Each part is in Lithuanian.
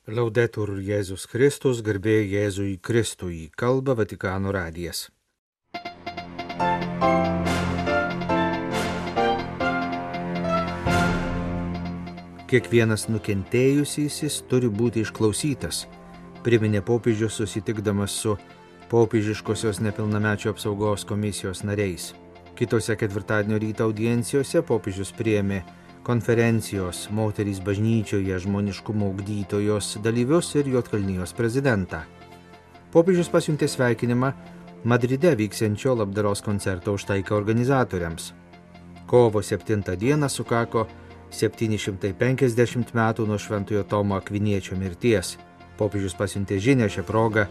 Laudetur Jėzus Kristus, garbė Jėzui Kristui, kalba Vatikano radijas. Kiekvienas nukentėjusysis turi būti išklausytas, priminė popiežius susitikdamas su popiežiškosios nepilnamečių apsaugos komisijos nariais. Kitose ketvirtadienio ryto audiencijose popiežius priėmė konferencijos Moterys bažnyčioje žmoniškumo ugdytojos dalyvius ir Juodkalnijos prezidentą. Popiežius pasiuntė sveikinimą Madride vyksiančio labdaros koncerto už taiką organizatoriams. Kovo 7 dieną sukako 750 metų nuo Šventojo Tomo Akviniečio mirties. Popiežius pasiuntė žinią šią progą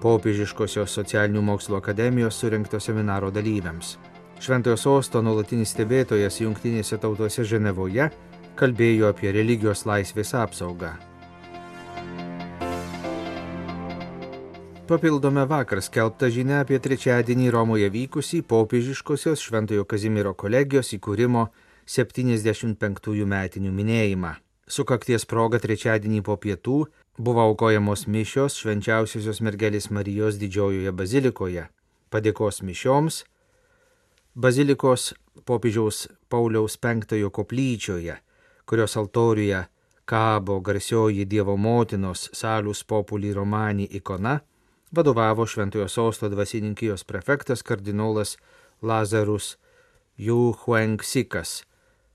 Popiežiškosios socialinių mokslo akademijos surengto seminaro dalyviams. Šventojo sosto nuolatinis stebėtojas Jungtinėse tautose Ženevoje kalbėjo apie religijos laisvės apsaugą. Papildome vakar skelbtą žinią apie trečiadienį Romoje vykusį popiežiškosios Šventojo Kazimiero kolegijos įkūrimo 75 metinių minėjimą. Sukakties proga trečiadienį po pietų buvo aukojamos mišios Švenčiausiosios mergelės Marijos didžiojoje bazilikoje. Padėkos mišioms bazilikos popiežiaus Pauliaus V koplyčioje, kurios altoriuje kabo garsioji Dievo motinos Salus Populi Romani ikona, vadovavo Šventojo sosto dvasininkijos prefektas kardinolas Lazarus Juhuenksikas.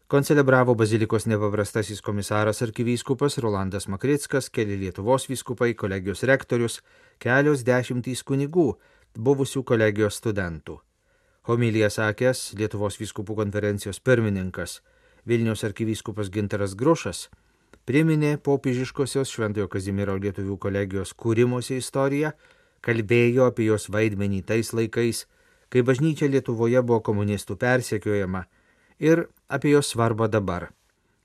Koncelebravo bazilikos nepaprastasis komisaras arkivyskupas Rolandas Makrickas, keli Lietuvos vyskupai, kolegijos rektorius, kelios dešimtys kunigų, buvusių kolegijos studentų. Homiliją sakęs Lietuvos vyskupų konferencijos pirmininkas Vilniaus arkivyskupas Gintaras Grušas priminė popiežiškosios Šventojo Kazimiero lietuvių kolegijos kūrimosi istoriją, kalbėjo apie jos vaidmenį tais laikais, kai bažnyčia Lietuvoje buvo komunistų persekiojama, ir apie jos svarbą dabar.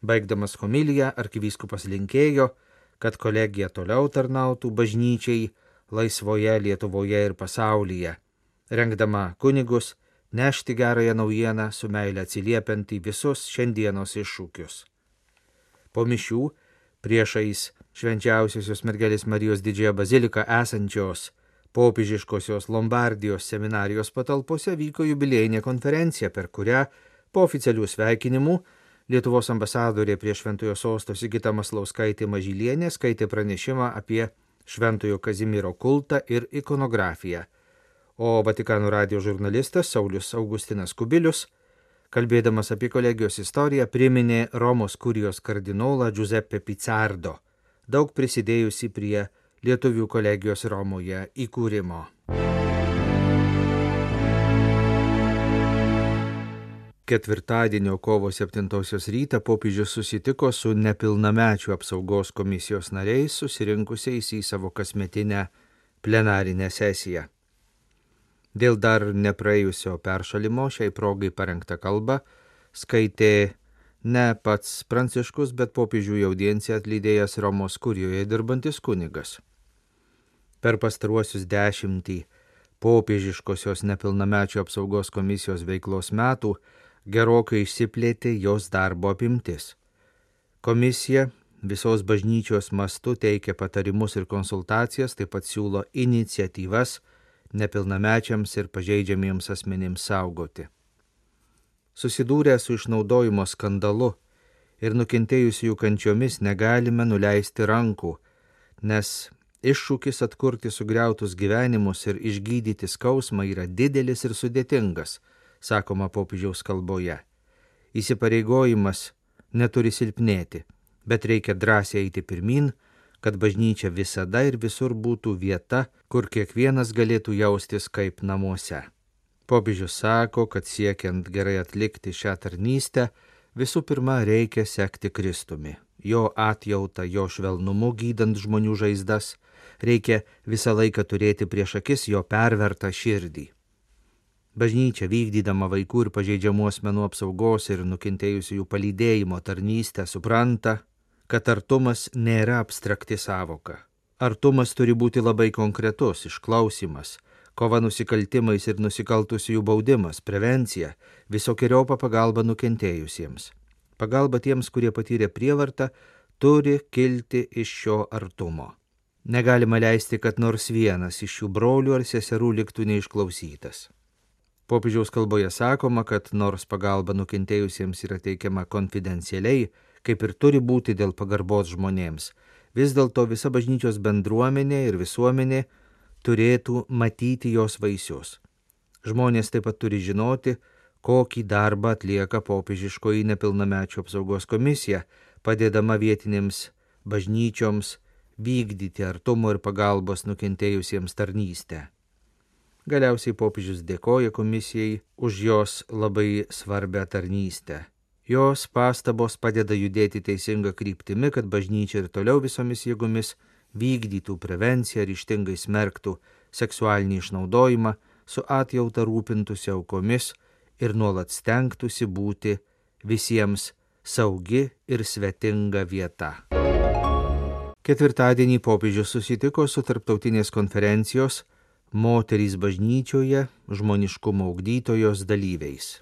Baigdamas homiliją, arkivyskupas linkėjo, kad kolegija toliau tarnautų bažnyčiai laisvoje Lietuvoje ir pasaulyje, rengdama kunigus nešti gerąją naujieną su meile atsiliepiant į visus šiandienos iššūkius. Po mišių priešais Švenčiausiosios mergelės Marijos didžiąją baziliką esančios popiežiškosios Lombardijos seminarijos patalpose vyko jubiliejinė konferencija, per kurią po oficialių sveikinimų Lietuvos ambasadorė prie Šventojo sosto Sigita Maslauskaitė Mažylienė skaitė pranešimą apie Šventojo Kazimiero kultą ir ikonografiją, o Vatikano radijo žurnalistas Saulius Augustinas Kubilius, kalbėdamas apie kolegijos istoriją, priminė Romos kurijos kardinolą Giuseppe Pizzardo, daug prisidėjusi prie lietuvių kolegijos Romoje įkūrimo. Ketvirtadienio kovo 7 rytą popiežius susitiko su nepilnamečių apsaugos komisijos nariais susirinkusiais į savo kasmetinę plenarinę sesiją. Dėl dar nepraėjusio peršalimo šiai progai parengtą kalbą skaitė ne pats Pranciškus, bet popiežių į audienciją atlydėjęs Romos kurijoje dirbantis kunigas. Per pastaruosius 10 popiežiškosios nepilnamečių apsaugos komisijos veiklos metų gerokai išsiplėtė jos darbo apimtis. Komisija visos bažnyčios mastu teikia patarimus ir konsultacijas, taip pat siūlo iniciatyvas nepilnamečiams ir pažeidžiamiems asmenims saugoti. Susidūrę su išnaudojimo skandalu ir nukentėjusiųjų kančiomis negalime nuleisti rankų, nes iššūkis atkurti sugriautus gyvenimus ir išgydyti skausmą yra didelis ir sudėtingas, sakoma popiežiaus kalboje. Įsipareigojimas neturi silpnėti, bet reikia drąsiai eiti pirmin, kad bažnyčia visada ir visur būtų vieta, kur kiekvienas galėtų jaustis kaip namuose. Popiežius sako, kad siekiant gerai atlikti šią tarnystę, visų pirma reikia sekti Kristumi, jo atjautą, jo švelnumu gydant žmonių žaizdas, reikia visą laiką turėti prieš akis jo pervertą širdį. Bažnyčia vykdydama vaikų ir pažeidžiamų asmenų apsaugos ir nukentėjusiųjų palydėjimo tarnystę supranta, kad artumas nėra abstrakti sąvoka. Artumas turi būti labai konkretus, išklausymas, kova nusikaltimais ir nusikaltusiųjų baudimas, prevencija, visokeriopą pagalbą nukentėjusiems. Pagalba tiems, kurie patyrė prievartą, turi kilti iš šio artumo. Negalima leisti, kad nors vienas iš šių brolių ar seserų liktų neišklausytas. Popiežiaus kalboje sakoma, kad nors pagalba nukentėjusiems yra teikiama konfidencialiai, kaip ir turi būti dėl pagarbos žmonėms, vis dėlto visa bažnyčios bendruomenė ir visuomenė turėtų matyti jos vaisius. Žmonės taip pat turi žinoti, kokį darbą atlieka popiežiškoji nepilnamečių apsaugos komisija, padėdama vietinėms bažnyčioms vykdyti artumo ir pagalbos nukentėjusiems tarnystę. Galiausiai popiežius dėkoja komisijai už jos labai svarbią tarnystę. Jos pastabos padeda judėti teisinga kryptimi, kad bažnyčia ir toliau visomis jėgomis vykdytų prevenciją, ryžtingai smerktų seksualinį išnaudojimą, su atjauta rūpintųsi aukomis ir nuolat stengtųsi būti visiems saugi ir svetinga vieta. Ketvirtadienį popiežius susitiko su tarptautinės konferencijos Moterys bažnyčioje žmoniškumo ugdytojos dalyviais.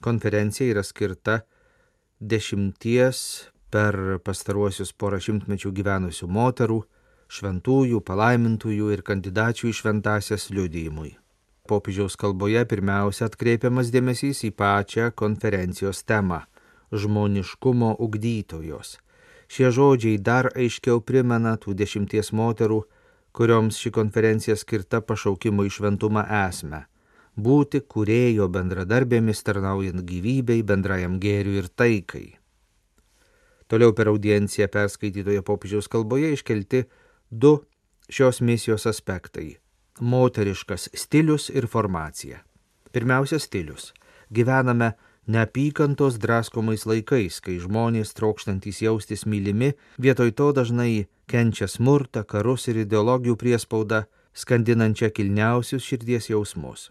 Konferencija yra skirta 10 per pastaruosius porą šimtmečių gyvenusių moterų, šventųjų, palaimintųjų ir kandidačių į šventąsias liudijimui. Popiežiaus kalboje pirmiausia atkreipiamas dėmesys į pačią konferencijos temą – žmoniškumo ugdytojos. Šie žodžiai dar aiškiau primena tų 10 moterų, kurioms ši konferencija skirta pašaukimo į šventumą esmę – būti kūrėjo bendradarbėmis tarnaujant gyvybei, bendrajam gėriui ir taikai. Toliau per audienciją perskaitytoje popiežiaus kalboje iškelti 2 šios misijos aspektai – moteriškas stilius ir formacija. Pirmiausia, stilius. Gyvename neapykantos draskomais laikais, kai žmonės trokštantys jaustis mylimi, vietoj to dažnai kenčia smurtą, karus ir ideologijų priespaudą, skandinančią kilniausius širdies jausmus.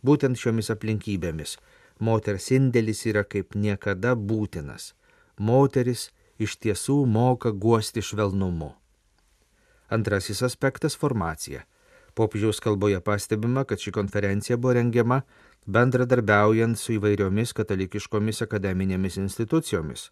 Būtent šiomis aplinkybėmis moters indėlis yra kaip niekada būtinas. Moteris iš tiesų moka guosti švelnumu. Antrasis aspektas – formacija. Popiežiaus kalboje pastebima, kad ši konferencija buvo rengiama bendradarbiaujant su įvairiomis katalikiškomis akademinėmis institucijomis.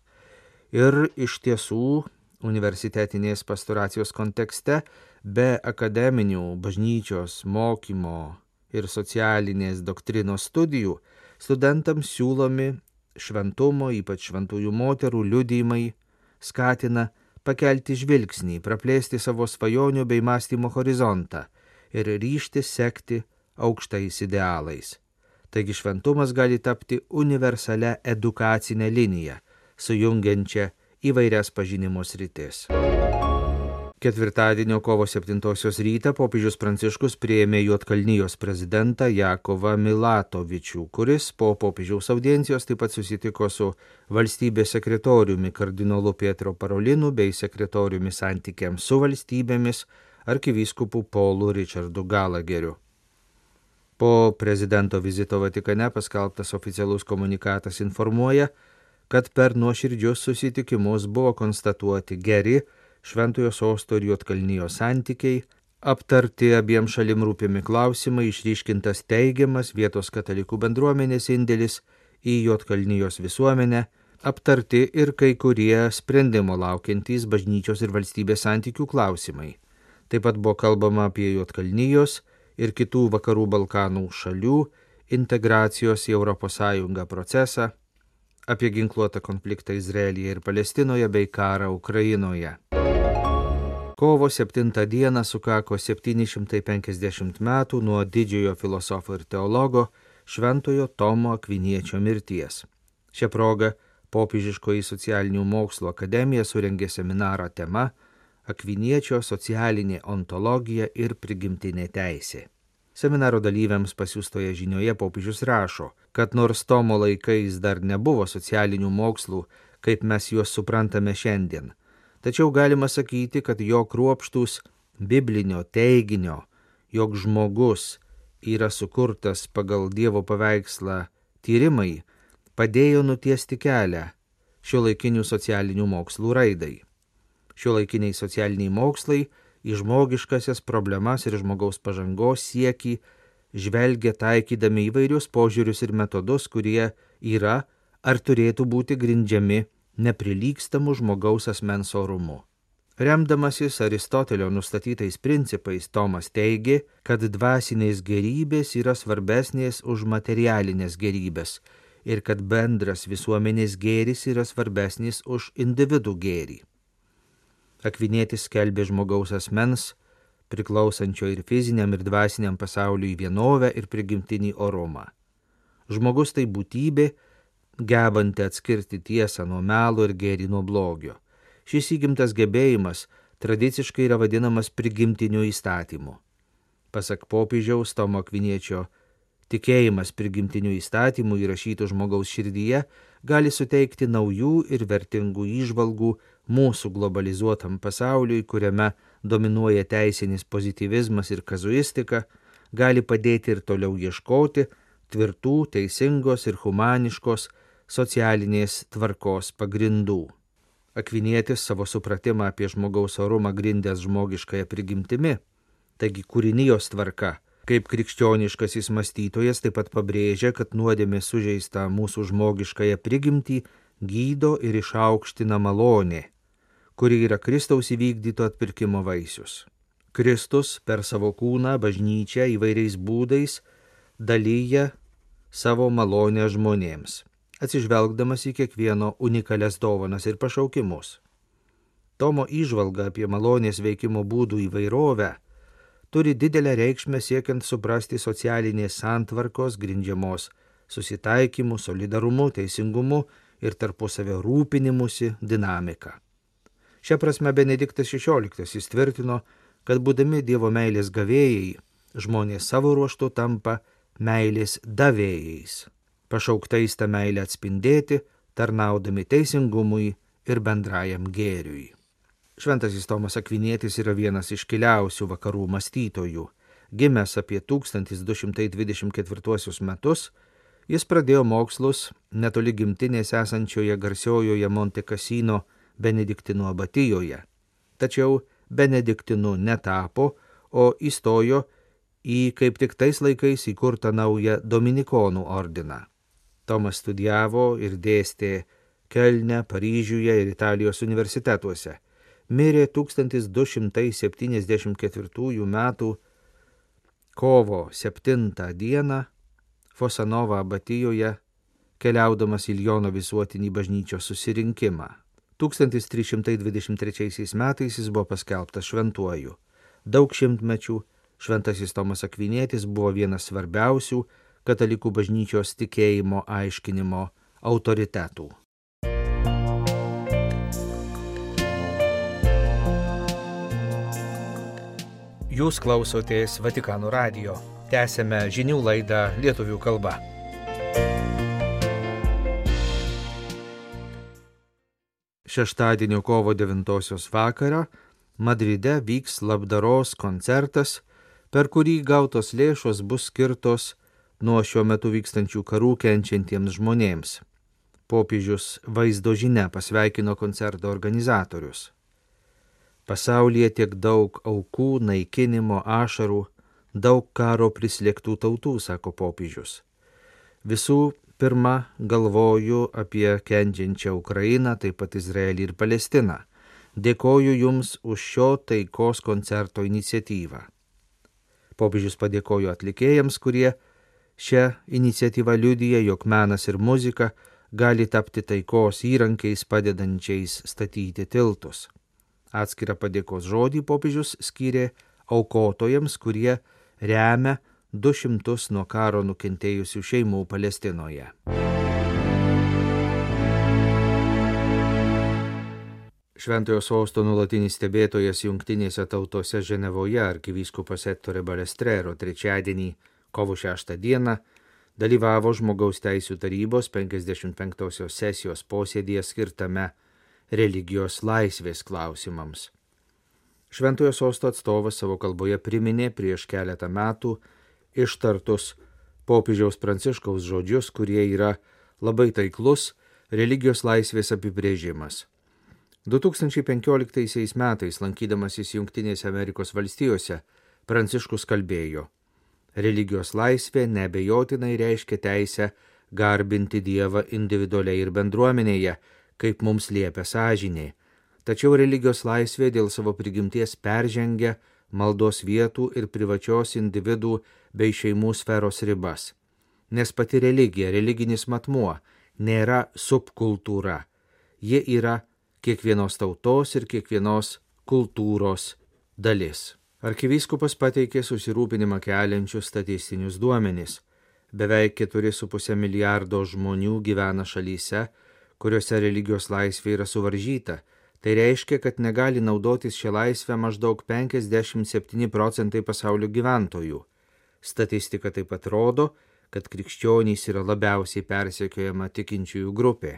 Ir iš tiesų universitetinės pastoracijos kontekste be akademinių bažnyčios mokymo ir socialinės doktrinos studijų studentams siūlomi šventumo, ypač šventųjų moterų liudijimai, skatina pakelti žvilgsnį, praplėsti savo svajonių bei mąstymo horizontą ir ryžtis sekti aukštais idealais. Taigi šventumas gali tapti universalia edukacinė linija, sujungiančia įvairias pažinimo sritis. Ketvirtadienio kovo 7 rytą popiežius Pranciškus priėmė Juodkalnijos prezidentą Jakovą Milatovičių, kuris po popiežiaus audiencijos taip pat susitiko su valstybės sekretoriumi kardinolu Pietro Parolinu bei sekretoriumi santykiams su valstybėmis arkivyskupu Paulu Richardu Galageriu. Po prezidento vizito Vatikane paskelbtas oficialus komunikatas informuoja, kad per nuoširdžius susitikimus buvo konstatuoti geri Šventojo Sosto ir Juodkalnijos santykiai, aptarti abiem šalim rūpimi klausimai, išryškintas teigiamas vietos katalikų bendruomenės indėlis į Juodkalnijos visuomenę, aptarti ir kai kurie sprendimo laukiantys bažnyčios ir valstybės santykių klausimai. Taip pat buvo kalbama apie Juodkalnijos ir kitų vakarų Balkanų šalių integracijos į ES procesą, apie ginkluotą konfliktą Izraelyje ir Palestinoje bei karą Ukrainoje. Kovo 7 dieną sukako 750 metų nuo didžiojo filosofo ir teologo Šventojo Tomo Akviniečio mirties. Šia proga Popiežiškoji socialinių mokslų akademija surengė seminarą tema Akviniečio socialinė ontologija ir prigimtinė teisė. Seminaro dalyviams pasiųstoje žinioje popiežius rašo, kad nors Tomo laikais dar nebuvo socialinių mokslų, kaip mes juos suprantame šiandien, tačiau galima sakyti, kad jo kruopštūs biblinio teiginio, jog žmogus yra sukurtas pagal Dievo paveikslą tyrimai, padėjo nutiesti kelią šiuolaikinių socialinių mokslų raidai. Šiuolaikiniai socialiniai mokslai į žmogiškasias problemas ir žmogaus pažangos siekį žvelgia taikydami įvairius požiūrius ir metodus, kurie yra ar turėtų būti grindžiami neprilygstamu žmogaus asmens orumu. Remdamasis Aristotelio nustatytais principais, Tomas teigė, kad dvasinės gerybės yra svarbesnės už materialinės gerybės ir kad bendras visuomenės gėris yra svarbesnis už individų gėrį. Akvinietis skelbė žmogaus asmens, priklausančio ir fiziniam ir dvasiniam pasauliui vienovę ir prigimtinį orumą. Žmogus tai būtybė, gebanti atskirti tiesą nuo melo ir gėrį nuo blogio. Šis įgimtas gebėjimas tradiciškai yra vadinamas prigimtiniu įstatymu. Pasak popiežiaus Tomo Akviniečio, tikėjimas prigimtiniu įstatymu įrašytų žmogaus širdyje gali suteikti naujų ir vertingų įžvalgų mūsų globalizuotam pasauliui, kuriame dominuoja teisinis pozityvizmas ir kazuistika, gali padėti ir toliau ieškoti tvirtų, teisingos ir humaniškos socialinės tvarkos pagrindų. Akvinietis savo supratimą apie žmogaus orumą grindęs žmogiškąją prigimtimi, taigi kūrinijos tvarka. Kaip krikščioniškasis mąstytojas taip pat pabrėžia, kad nuodėmė sužeista mūsų žmogiškąją prigimtį gydo ir išaukština malonė, kuri yra Kristaus įvykdyto atpirkimo vaisius. Kristus per savo kūną bažnyčią įvairiais būdais dalyja savo malonę žmonėms, atsižvelgdamas į kiekvieno unikalias dovanas ir pašaukimus. Tomo įžvalga apie malonės veikimo būdų įvairovę turi didelę reikšmę siekiant suprasti socialinės santvarkos grindžiamos susitaikymu, solidarumu, teisingumu ir tarpusavio rūpinimusi dinamiką. Šia prasme Benediktas XVI tvirtino, kad būdami Dievo meilės gavėjai, žmonės savo ruožtu tampa meilės davėjais, pašauktais tą meilę atspindėti, tarnaudami teisingumui ir bendrajam gėriui. Šventasis Tomas Akvinietis yra vienas iškiliausių vakarų mąstytojų. Gimęs apie 1224 metus, jis pradėjo mokslus netoli gimtinės esančioje garsiojoje Monte Cassino Benediktinų abatijoje. Tačiau Benediktinu netapo, o įstojo į kaip tik tais laikais įkurtą naują Dominikonų ordiną. Tomas studijavo ir dėstė Kelne, Paryžiuje ir Italijos universitetuose. Mirė 1274 metų kovo 7 dieną Fosanova abatijoje, keliaudamas į Liono visuotinį bažnyčios susirinkimą. 1323 metais jis buvo paskelbtas šventuoju. Daug šimtmečių šventasis Tomas Akvinietis buvo vienas svarbiausių katalikų bažnyčios tikėjimo aiškinimo autoritetų. Jūs klausotės Vatikano radijo. Tęsėme žinių laidą lietuvių kalba. Šeštadienio kovo 9 vakarą Madride vyks labdaros koncertas, per kurį gautos lėšos bus skirtos nuo šiuo metu vykstančių karų kenčiantiems žmonėms. Popiežius vaizdo žinia pasveikino koncerto organizatorius. Pasaulyje tiek daug aukų, naikinimo, ašarų, daug karo prislėgtų tautų, sako popiežius. Visų pirma, galvoju apie kenčiančią Ukrainą, taip pat Izraelį ir Palestiną. Dėkoju Jums už šio taikos koncerto iniciatyvą. Popiežius padėkojo atlikėjams, kurie šią iniciatyvą liudija, jog menas ir muzika gali tapti taikos įrankiais padedančiais statyti tiltus. Atskirą padėkos žodį popiežius skyrė aukotojams, kurie remia 200 nuo karo nukentėjusių šeimų Palestinoje. Šventojo sosto nuolatinis stebėtojas Jungtinėse tautose Ženevoje arkivyskupas Ettore Balestrero trečiadienį, kovo 6 dieną, dalyvavo Žmogaus teisių tarybos 55 sesijos posėdyje skirtame religijos laisvės klausimams. Šventojo sosto atstovas savo kalboje priminė prieš keletą metų ištartus popiežiaus Pranciškaus žodžius, kurie yra labai taiklus religijos laisvės apibrėžimas. 2015 metais, lankydamasis Jungtinėse Amerikos valstijose, Pranciškus kalbėjo: religijos laisvė neabejotinai reiškia teisę garbinti Dievą individualiai ir bendruomenėje, kaip mums liepia sąžinė. Tačiau religijos laisvė dėl savo prigimties peržengia maldos vietų ir privačios individų bei šeimų sferos ribas. Nes pati religija, religinis matmuo, nėra subkultūra. Ji yra kiekvienos tautos ir kiekvienos kultūros dalis. Arkivyskupas pateikė susirūpinimą keliančius statistinius duomenis. Beveik 4,5 milijardo žmonių gyvena šalyse, kuriuose religijos laisvė yra suvaržyta. Tai reiškia, kad negali naudotis šią laisvę maždaug 57 procentai pasaulio gyventojų. Statistika taip pat rodo, kad krikščionys yra labiausiai persekiojama tikinčiųjų grupė.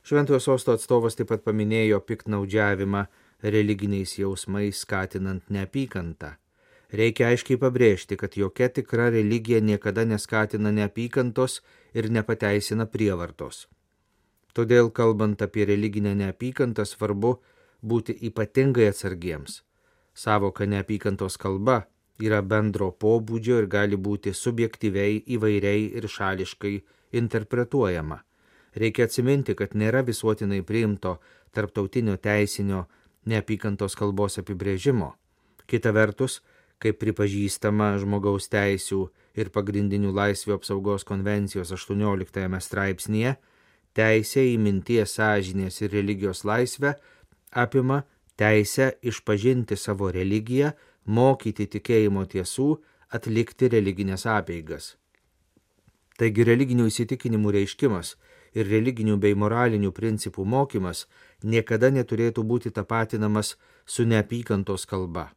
Šventojo sosto atstovas taip pat paminėjo piktnaudžiavimą religiniais jausmais skatinant neapykantą. Reikia aiškiai pabrėžti, kad jokia tikra religija niekada neskatina neapykantos ir nepateisina prievartos. Todėl, kalbant apie religinę neapykantą, svarbu būti ypatingai atsargiems. Savoka neapykantos kalba yra bendro pobūdžio ir gali būti subjektyviai, įvairiai ir šališkai interpretuojama. Reikia atsiminti, kad nėra visuotinai priimto tarptautinio teisinio neapykantos kalbos apibrėžimo. Kita vertus, kaip pripažįstama žmogaus teisių ir pagrindinių laisvių apsaugos konvencijos 18 straipsnyje, teisė į minties, sąžinės ir religijos laisvę apima teisę išpažinti savo religiją, mokyti tikėjimo tiesų, atlikti religinės apeigas. Taigi religinių įsitikinimų reiškimas ir religinių bei moralinių principų mokymas niekada neturėtų būti tapatinamas su neapykantos kalba.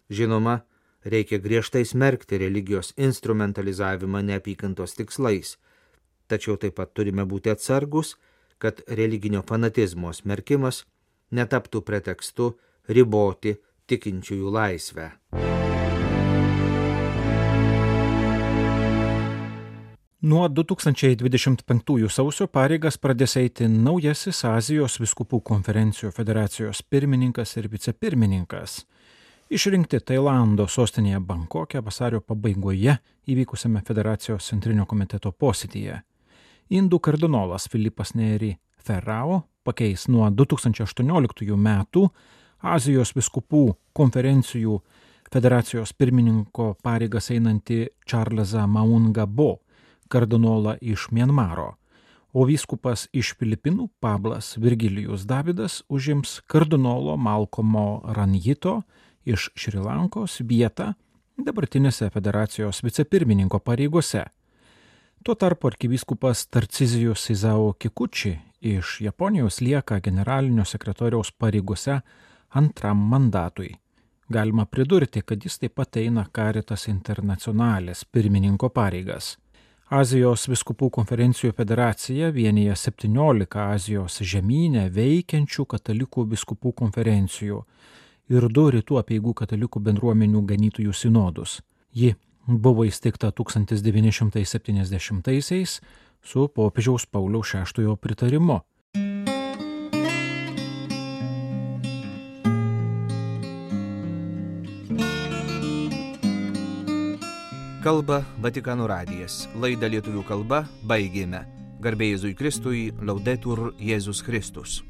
Žinoma, reikia griežtai smerkti religijos instrumentalizavimą neapykantos tikslais, tačiau taip pat turime būti atsargus, kad religinio fanatizmo smerkimas netaptų pretekstu riboti tikinčiųjų laisvę. Nuo 2025 sausio pareigas pradės eiti naujasis Azijos vyskupų konferencijų federacijos pirmininkas ir vicepirmininkas. Išrinkti Tailando sostinėje Bankoke vasario pabaigoje įvykusiame federacijos centrinio komiteto posėdyje. Indų kardinolas Filipas Neri Ferrao pakeis nuo 2018 metų Azijos vyskupų konferencijų federacijos pirmininko pareigas einantį Čarlzą Maungabo, kardinolą iš Mianmaro, o vyskupas iš Filipinų Pablas Virgilijus Davidas užims kardinolo Malkomo Ranjito iš Šri Lankos vietą dabartinėse federacijos vicepirmininko pareigose. Tuo tarpu arkivyskupas Tarcizijus Isao Kikuchi iš Japonijos lieka generalinio sekretoriaus pareigose antram mandatui. Galima pridurti, kad jis taip pat eina Caritas Internationalės pirmininko pareigas. Azijos vyskupų konferencijų federacija vienija 17 Azijos žemyne veikiančių katalikų vyskupų konferencijų ir 2 rytų apeigų katalikų bendruomenių ganytojų sinodus. Ji buvo įsteigta 1970-aisiais su popiežiaus Pauliaus VI pritarimu. Kalba Vatikano radijas. Laidą lietuvių kalba baigėme. Garbė Jėzui Kristui, Laudetur Jėzus Kristus.